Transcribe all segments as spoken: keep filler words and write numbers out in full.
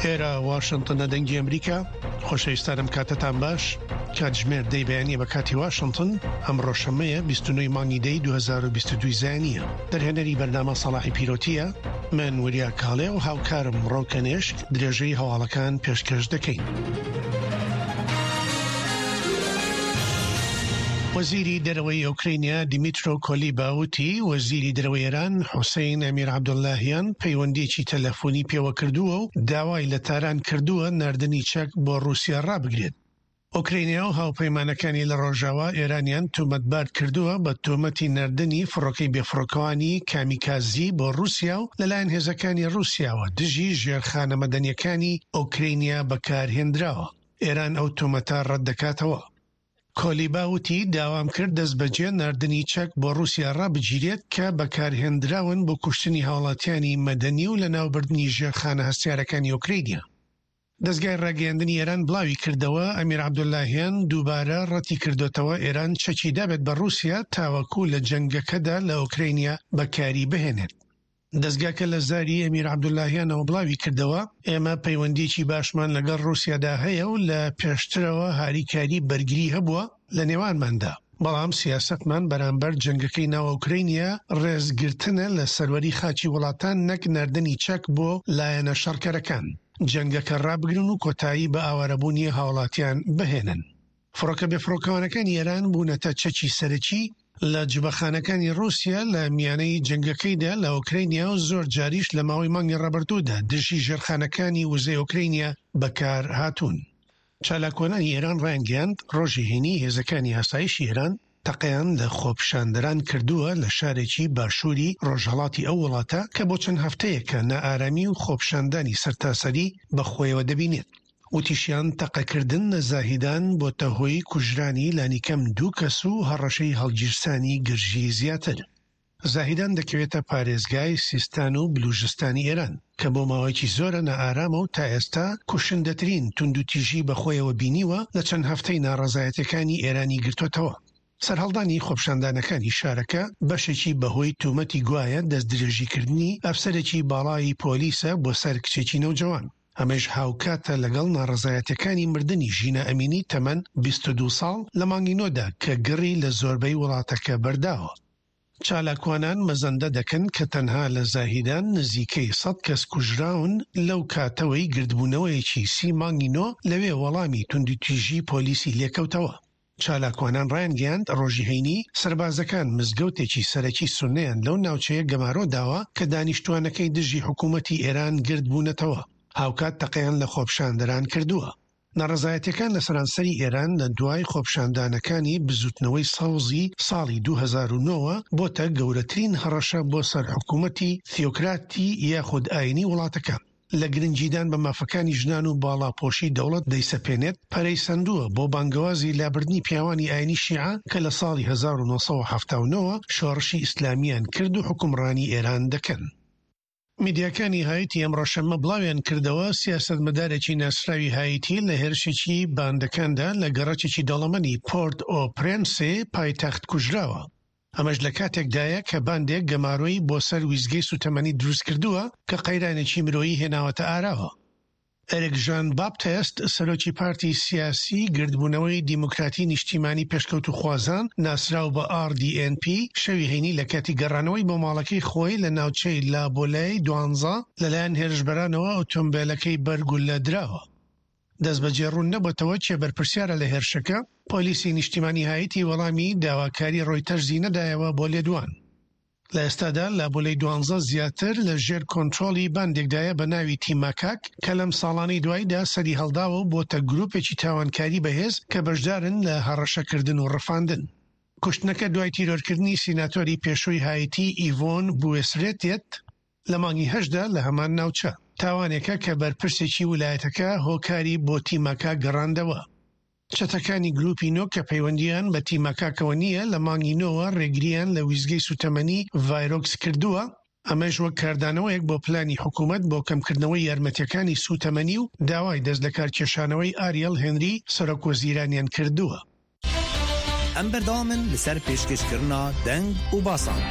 ئێرە واشنتنە، دەنگی ئەمریکا. خۆشەویستانم، کاتتان باش. کاتژمێر دەی بەیانیە بە کاتی واشنتن. ئەمڕۆ شەممەیە، بیست و نۆ مانگی دەی دوو هەزار و بیست و دوو زایانیە. دەرهێنەری بەرنامە سەڵاحی پیرۆتیە. من وریا کاڵێ و هاوکارم ڕۆکەنێشک درێژەی هەواڵەکان پێشکەش دەکەین. وەزیری دەرەوەی ئۆکرینیا دیمیترۆ کۆلیبا وتی وەزیری دەرەوەی ئێران حوسەین ئەمیر عەبدوڵاهیان پەیوەندیەکی تەلەفۆنی پێوە کردووە و داوای لە تاران کردووە ناردنی چەک بۆ ڕووسیا ڕابگرێت. ئۆکرینیا و هاوپەیمانەکانی لە ڕۆژاوا ئێرانیان تۆمەتبار کردووە بە تۆمەتی ناردنی فڕۆکەی بێفڕۆکەوانی کامیکازی بۆ ڕووسیا و لەلایەن هێزەکانی ڕووسیاوە دژی ژێرخانە مەدەنیەکانی ئۆکرینیا بەکارهێنراوە. ئێران ئەو تۆمەتە ڕەت دەکاتەوە. کۆلیبا وتی داوام کرد دەست بەجێ ناردنی چەک بۆ ڕووسیا ڕابگیرێت کە بەکارهێنراون بۆ کوشتنی هاوڵاتیانی مەدەنی و لەناوبردنی ژێرخانە هەستیارەکانی ئۆکرینیا. دەستگای ڕاگەیاندنی ئێران بڵاوی کردەوە ئەمیر عەبدوڵاهیان دووبارە ڕەتی کردوتەوە ئێران چەکی دابێت بە ڕووسیا تاوەکو لە جەنگەکەدا لە ئۆکرینیا بەکاری بهێنێت. دەستگاکە لە زاری ئەمیر عەبدوڵاهیانەوە بڵاوی کردەوە ئێمە پەیوەندیەکی باشمان لەگەڵ ڕووسیادا هەیە و لە پێشترەوە هاریکاری بەرگری هەبووە لە نێوانماندا، بەڵام سیاسەتمان بەرامبەر جەنگەکەی ناو ئۆکرینیا ڕێزگرتنە لە سەروەری خاکی وڵاتان نەک ناردنی چەک بۆ لایەنە شەڕکەرەکان. جەنگەکە ڕابگرن و کۆتایی بە ئاوارەبوونی هاوڵاتیان بهێنن. فڕۆکە بێفڕۆکەوانەکانی ئێران بوونەتە چەکی سەرەکی لە جبەخانەکانی ڕووسیا لە میانەی جەنگەکەیدا لە ئۆکرینیا و زۆر جاریش لە ماوەی مانگی ڕابردوودا دژی ژێرخانەکانی وزەی ئۆکرینیا بەکار هاتوون. چالاکوانانی ئێران ڕایانگەیاند ڕۆژی هەینی هێزەکانی ئاسایشی ئێران تەقەیان لە خۆپیشاندەران کردووە لە شارێکی باشووری ڕۆژهەڵاتی ئەو وڵاتە کە بۆ چەند هەفتەیەکە نائارامی و خۆپیشاندانی سەرتاسەری بەخۆیەوە دەبینێت. وتیشیان تەقەکردن لە زاهیدان بۆتە هۆی کوژرانی لانیکەم دوو کەس و هەڕەشەی هەڵگیرسانی گرژی زیاتر. زاهیدان دەکەوێتە پارێزگای سیستان و بلوژستانی ئێران کە بۆ ماوەیەکی زۆرە نائارامە و تا ئێستا کوشندەترین توندوتیژی بەخۆیەوە بینیوە لە چەند هەفتەی ناڕەزایەتەکانی ئێرانی گرتوتەوە. سەرهەڵدانی خۆپیشاندانەکانی شارەکە بەشێکی بەهۆی تومەتی گوایە دەستدرێژیکردنی ئەفسەرێکی باڵای پۆلیسە بۆ سەر کچێکی نەوجەوان. ئەمەش هاوکاتە لەگەڵ ناڕەزایەتەکانی مردنی ژینا ئەمینی تەمەن بیست و دوو ساڵ لە مانگی نۆدا کە گڕی لە زۆربەی وڵاتەکە بەرداوە. چالاکوانان مەزەندە دەکەن کە تەنها لە زاهیدان نزیکەی سەد کەس کوژراون لەو کاتەوەی گردبوونەوەیەکی سی مانگی نۆ لەوێ وەڵامی توندوتیژی پۆلیسی لێکەوتەوە. چالاکوانان ڕایانگەیاند ڕۆژی هەینی سەربازەکان مزگەوتێکی سەرەکی سوننەیان لەو ناوچەیە گەمارۆ داوە کە دانیشتوانەکەی دژی حکوومەتی ئێران گردبوونەتەوە. هاوکات تەقەیان لە خۆپیشاندەران کردووە. ناڕەزایەتیەکان لە سەرانسەری ئێران لە دوای خۆپیشاندانەکانی بزوتنەوەی سەوزی ساڵی دوو هەزار و نۆ بۆتە گەورەترین هەڕەشە بۆ سەر حکوومەتی تیۆکراتی یاخود ئاینی وڵاتەکە. لە گرنگیدان بە مافەکانی ژنان و باڵاپۆشی دەوڵەت دەیسەپێنێت پەرەی سەندووە بۆ بانگەوازی لابردنی پیاوانی ئاینی شیعە کە لە ساڵی هەزار و نۆ سەد و حەفتا و نۆ شۆڕشی ئیسلامیان کرد و حکومڕانی ئێران دەکەن. میدیاکانی هایتی ئەمڕۆ شەممە بڵاویان کردەوە سیاسەتمەدارێکی ناسراوی هایتی لە هێرشێکی باندەکاندا لە گەڕەکێکی دەوڵەمەنی پۆرت ئۆ پرێنسێ پایتەخت کوژراوە. ئەمەش لە کاتێکدایە کە باندێک گەمارۆی بۆ سەر ویزگەی سوتەمەنی دروست کردووە کە قەیرانێکی مرۆیی هێناوەتە ئاراوە. ئەریک ژان باپتست سەرۆکی پارتی سیاسی گردبوونەوەی دیموکراتی نیشتیمانی پێشکەوتوخوازان ناسراو بە ئاڕ دی ئێن پی شەوی هەینی لە کاتی گەڕانەوەی بۆ ماڵەکەی خۆی لە ناوچەی لابۆلای دوانزە لەلایەن هێرشبەرانەوە ئۆتۆمبیلەکەی بەرگولە دراوە. دەست بەجێ ڕوون نەبێتەوە کێ بەرپرسیارە لە هێرشەکە. پۆلیسی نیشتیمانی هایتی وەڵامی داواکاری ڕۆیتەرزی نەدایەوە بۆ لێدوان. لە ئێستادا لابۆلەی دوانزە زیاتر لە ژێر کۆنترۆڵی باندێکدایە بە ناوی تیماکاک کە لەم ساڵانەی دواییدا سەری هەڵداوە و بۆتە گروپێکی تاوانکاری بەهێز کە بەشدارن لە هەڕەشەکردن و ڕفاندن. کوشتنەکە دوای تیرۆرکردنی سیناتۆری پێشووی هایتی ئیڤۆن بوێسرێت دێت لە مانگی هەشتدا لە هەمان ناوچە. تاوانێکە کە بەرپرسێکی ولایەتەکە هۆکاری بۆ تیماکاک گەڕاندەوە. چەتەکانی گروپی نۆ کە پەیوەندیان بە تیماکاکەوە نییە لە مانگی نۆوە ڕێگریان لە ویزگەی سوتەمەنی ڤایرۆکس کردووە، ئەمەش وەک کاردانەوەیەک بۆ پلانی حکوومەت بۆ کەمکردنەوەی یارمەتیەکانی سوتەمەنی و داوای دەست لەکارکێشانەوەی ئاریەل هێنری سەرۆک وەزیرانیان کردووە. ئەم بەردەوامن لەسەر پێشکەشکردنا دەنگ و باسان.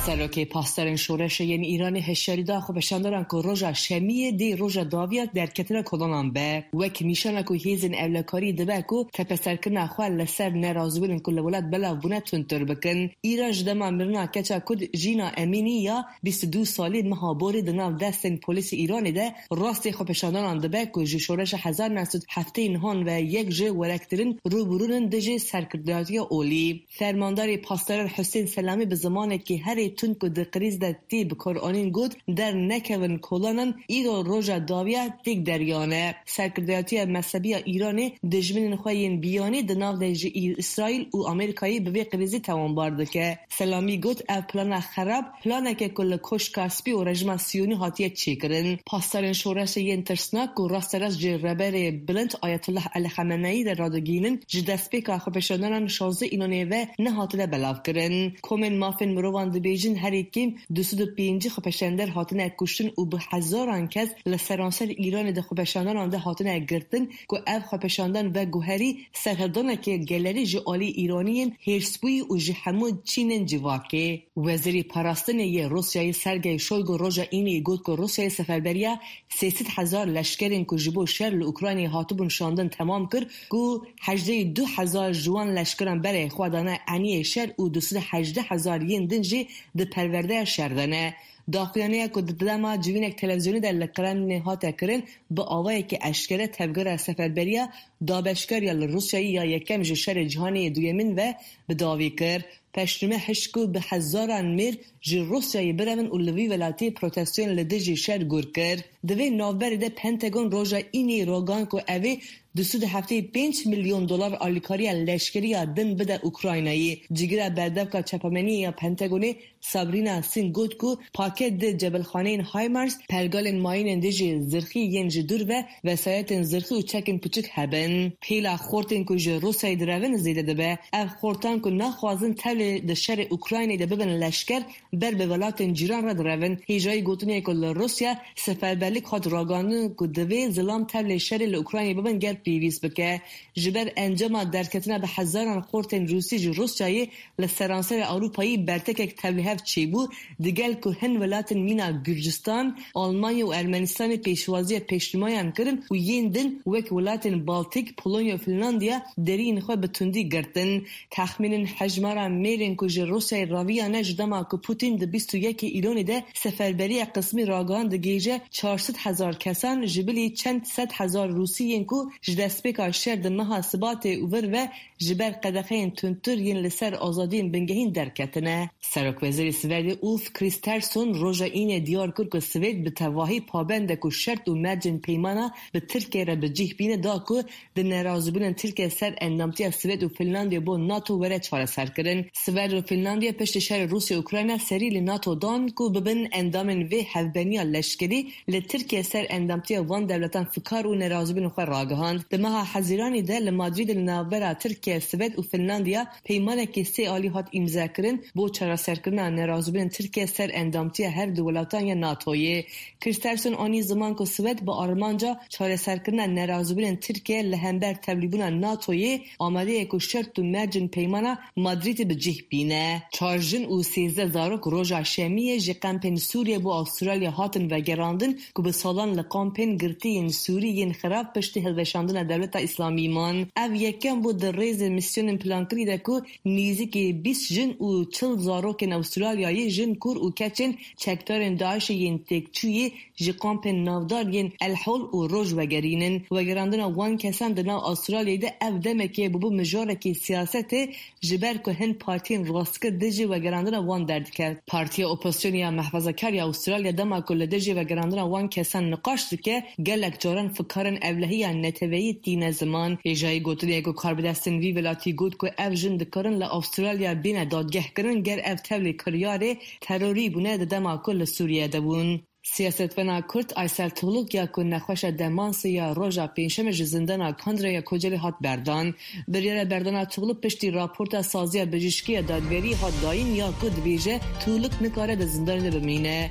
سەرۆکê pasdarên şoreşê yên Îranê hişyarî da xwepêşandaran ku roja şemiyê dê roja dawiya derketina kolanan be. Wek nîşana ku hêzên ewlekarî dibe ku tepeserkirina xwe li ser nerazîbûnên ku li welat belav bûne tundtir bikin. Îran ji dema mirina keça Kurd Jîna Emînî ya bîst û du salî meha borî di nav destên polîsê Îranê de rastê xwepêşandaran dibe ku ji şoreşa hezar neh sed heftê nihan ve yek ji werektirin rûbirûnin dijî serkirdayetiya olî. Fermandarê pasdaran Husên Selamî bi zimanekî herî tund ku di krîz de tê bikaranîn got der nekevin kolanan îro roja dawiya têk deriyane. Serkirdayetiya mezhebiya Îranê dijminên xwe yên biyanî di nav de ji Îsraîl û Amerîkayê bi vê krîzê tawanbar dike. Selamî got ev plana xerab planeke ku li Koşka Spî û rejîma Siyonî hatiye çêkirin. Pasdarên şoreşê yên tirsnak ku rasterast ji rêberê bilind Ayetullah Elî Xameneyî re radigihînin ji destpêka xwepêşandanan şazdeh Îlonê ve nehatine belavkirin. Komên mafên mirovan dibêjin herî kêm du sed û pêncî xwepêşander hatine kuştin û bi hezaran kes li seranser Îranê di xwepêşandanan de hatine girtin ku ev xwepêşandan veguherî serhildaneke gelerî ji alî Îraniyên hêrsbûyî û ji hemû çînên civakê. Wezîrê Parastinê yê Rûsyayê Sergey Shoigu roja Înê got ku Rûsyayê seferberiya sê sed hezar leşkerên ku ji bo şer li Ukraynayê hatibûn şandin temam kir ku hejdeh du hezar ji wan leşkeran berê xwe dane eniyê şer û du sed hejdeh hezar yên din jî di perwerdeya şer de ne. Daxuyaniya ku di dema civînek televizyonî de li Kremlinê hate kirin bi awayekî eşkere tevgera seferberiya dabeşkariya li Rûsyayê ya yekem ji şerê cîhanê yê duyemîn ve bi dawî kir. Peşnûme hişt ku bi hezaran mêr ji Rûsyayê birevin û li vî welatî protestoyên li dijî şer gur kir. Di vê navberê de Pentagon roja Înê ragihand ku ew ê du sed û heftê pênc milyon dolar alîkariya leşkeriya din bide Ukraynayê. Cîgira berdevka çapemeniyê ya Pentagonê Sabrina Singh got ku paket di cebilxaneyên HIMARS, pergalên mayînên dijî zirxî yên ji dûr ve vesayetên zirxî û çekên piçûk hebin. Pêla xortên ku ji Rûsyayê direvin zêde dibe. Ev xortan ku naxwazin tevlî di şerê Ukraynayê de bibin leşker ber bi welatên cîran re direvin. Hêjayî gotinê ku li Rûsya seferberlik hat ragihandin ku divê zilam tevlî şerê li Ukraynayê bibin ger pêwîst bike. Ji ber encama derketina bi hezaran xortên Rûsî ji Rûsyayê li seranserê Ewropayê bertekek tevlîhev çêbû digel ku hin welatên mîna Gurcistan, Almanya û Ermenistanê pêşwaziya pêşnûmayan kirin û yên din wek welatên Baltik, Polonya û Finlandiya deriyên xwe bi tundî girtin. Texmînên hejmara mêrên ku ji Rûsyayê raviyane ji dema ku Putin di bîst û yekê Îlonê de seferberiya qismî ragihand digihîje çar sed hezar kesan ji bilî çend sed hezar Rûsî yên ku ji destpêka şer di meha Sibatê û vir ve ji ber qedexeyên tundtir yên li ser azadiyên bingehîn derketine. Serokwezîrê Swêdê Ulf Kristersson roja Înê diyar kir ku Swêd bi tevahî pabend e ku şert û mercên peymana bi Tirkiyeyê re bi cih bîne da ku di nerazîbûnên Tirkiye ser endamtiya Swêd û Finlandiyê bo NATO were çareserkirin. Swêd û Finlandiya piştî şerê Rûsya û Ukrayna serî li NATO dan ku bibin endamên vê hevbeniya leşkerî li Tirkiye ser endamtiya wan dewletan fikar û nerazîbûnên xwe ragihand. Di meha Hezîranê de li Madrîdê li navbera Tirkiye, Swêd û Finlandiya peymanekî sê alî hat îmzekirin bo çareserkirina nerazîbûnên Tirkiye ser endamtiya her du welatan ya NATOyê. Kristersson anî ziman ku Swêd bi armanca çareserkirina nerazîbûnên Tirkiye li hember tevlîbûna NATOyê amade ye ku şert û mercên peymana Madrîdê bi cih bîne. Çar jin û sêzdeh zarok roja şemiyê ji kampên Sûriye bo Avustralya hatin vegerandin ku bi salan li kampên girtiyên Sûrî yên xerab piştî hilweşandina dewleta İslamî man. Ev yekem bû di rêzê misyonên plankirî de ku nêzîkî bîst jin û çil zarokên Avustralyayê jin kur û keçên çekdarên DAIŞê yên têkçûyê ji kampên navdar yên El Hol û Roj vegerînin. Vegerandina wan kesan di nav Avustralyayê de ev demekê bûbû mijarekî siyasetê ji ber ku hin partiyên rastgir dijî vegerandina wan derdiket. Partiya Opozisyonê ya Mehfezekar ya Avustralya dema ku li dijî vegerandina wan kesan niqaş dike gelek caran fikarên ewlehiya neteweyî tîne ziman. Hêjayî gotinê ku karbidestên vî welatî got ku ev jin dikarin li Avustralya bêne dadgehkirin ger ev tevlî kiryarê terorî bûne di dema ku li Sûriyeyê de bûn. Siyasetvana Kurd Aysel Tugluk ya ku nexweşa demansê ya roja pêncşemê ji zindana Kandıraya Kocaeli hat berdan. Biryara berdana Tugluk piştî raporta saziya bijîşkî ya dadgerî hat dayîn ya ku dibêje Tugluk nikare di zindanê de bimîne.